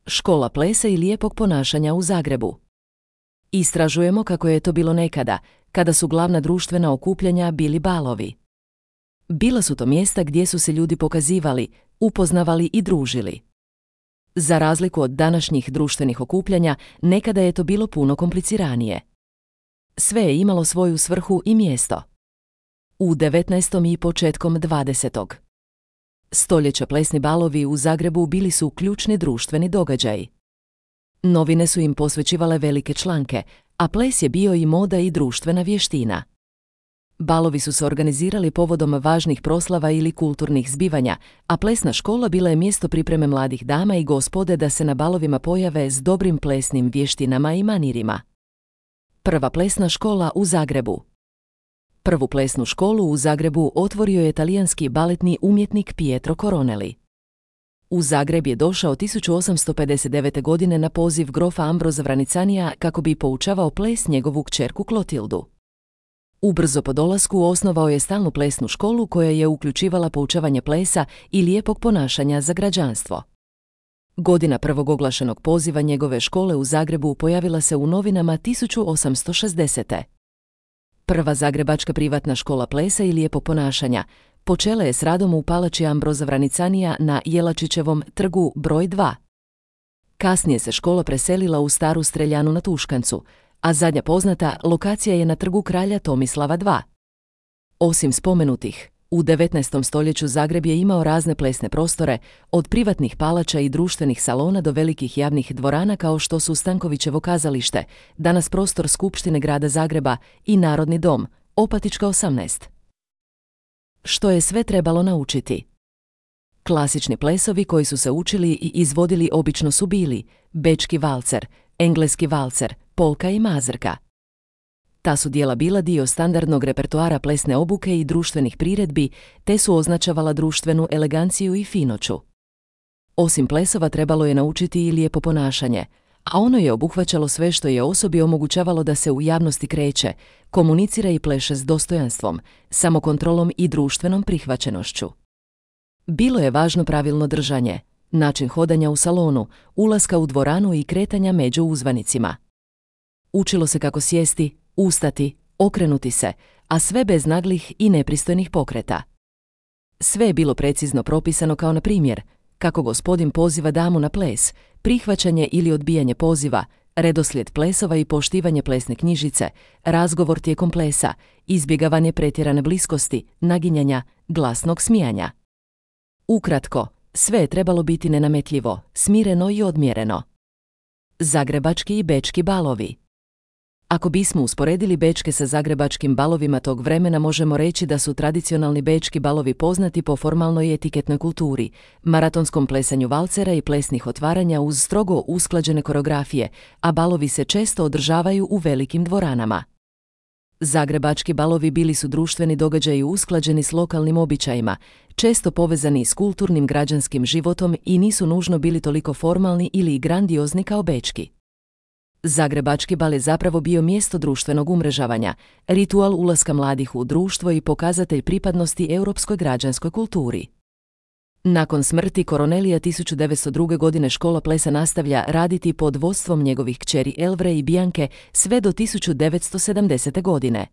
Škola plesa i lijepog ponašanja u Zagrebu. Istražujemo kako je to bilo nekada, kada su glavna društvena okupljanja bili balovi. Bila su to mjesta gdje su se ljudi pokazivali, upoznavali i družili. Za razliku od današnjih društvenih okupljanja, nekada je to bilo puno kompliciranije. Sve je imalo svoju svrhu i mjesto. U 19. i početkom 20. stoljeća plesni balovi u Zagrebu bili su ključni društveni događaji. Novine su im posvećivale velike članke, a ples je bio i moda i društvena vještina. Balovi su se organizirali povodom važnih proslava ili kulturnih zbivanja, a plesna škola bila je mjesto pripreme mladih dama i gospode da se na balovima pojave s dobrim plesnim vještinama i manirima. Prva plesna škola u Zagrebu. Prvu plesnu školu u Zagrebu otvorio je talijanski baletni umjetnik Pietro Coronelli. U Zagreb je došao 1859. godine na poziv grofa Ambroza Vranicanija kako bi poučavao ples njegovu kćerku Klotildu. Ubrzo po dolasku osnovao je stalnu plesnu školu koja je uključivala poučavanje plesa i lijepog ponašanja za građanstvo. Godina prvog oglašenog poziva njegove škole u Zagrebu pojavila se u novinama 1860. Prva zagrebačka privatna škola plesa i lijepog ponašanja počela je s radom u palači Ambroza Vranicanija na Jelačićevom trgu broj 2. Kasnije se škola preselila u staru streljanu na Tuškancu, a zadnja poznata lokacija je na trgu kralja Tomislava II. Osim spomenutih, u 19. stoljeću Zagreb je imao razne plesne prostore, od privatnih palača i društvenih salona do velikih javnih dvorana kao što su Stankovićevo kazalište, danas prostor Skupštine grada Zagreba, i Narodni dom, Opatička 18. Što je sve trebalo naučiti? Klasični plesovi koji su se učili i izvodili obično su bili bečki valcer, engleski valcer, polka i mazurka. Ta su djela bila dio standardnog repertoara plesne obuke i društvenih priredbi, te su označavala društvenu eleganciju i finoću. Osim plesova trebalo je naučiti i lijepo ponašanje, a ono je obuhvaćalo sve što je osobi omogućavalo da se u javnosti kreće, komunicira i pleše s dostojanstvom, samokontrolom i društvenom prihvaćenošću. Bilo je važno pravilno držanje, način hodanja u salonu, ulaska u dvoranu i kretanja među uzvanicima. Učilo se kako sjesti, ustati, okrenuti se, a sve bez naglih i nepristojnih pokreta. Sve je bilo precizno propisano kao na primjer, kako gospodin poziva damu na ples, prihvaćanje ili odbijanje poziva, redoslijed plesova i poštivanje plesne knjižice, razgovor tijekom plesa, izbjegavanje pretjerane bliskosti, naginjanja, glasnog smijanja. Ukratko, sve je trebalo biti nenametljivo, smireno i odmjereno. Zagrebački i bečki balovi. Ako bismo usporedili bečke sa zagrebačkim balovima tog vremena, možemo reći da su tradicionalni bečki balovi poznati po formalnoj etiketnoj kulturi, maratonskom plesanju valcera i plesnih otvaranja uz strogo usklađene koreografije, a balovi se često održavaju u velikim dvoranama. Zagrebački balovi bili su društveni događaji usklađeni s lokalnim običajima, često povezani s kulturnim građanskim životom i nisu nužno bili toliko formalni ili grandiozni kao bečki. Zagrebački bal je zapravo bio mjesto društvenog umrežavanja, ritual ulaska mladih u društvo i pokazatelj pripadnosti europskoj građanskoj kulturi. Nakon smrti Coronellija 1902. godine škola plesa nastavlja raditi pod vodstvom njegovih kćeri Elvre i Bianke sve do 1970. godine.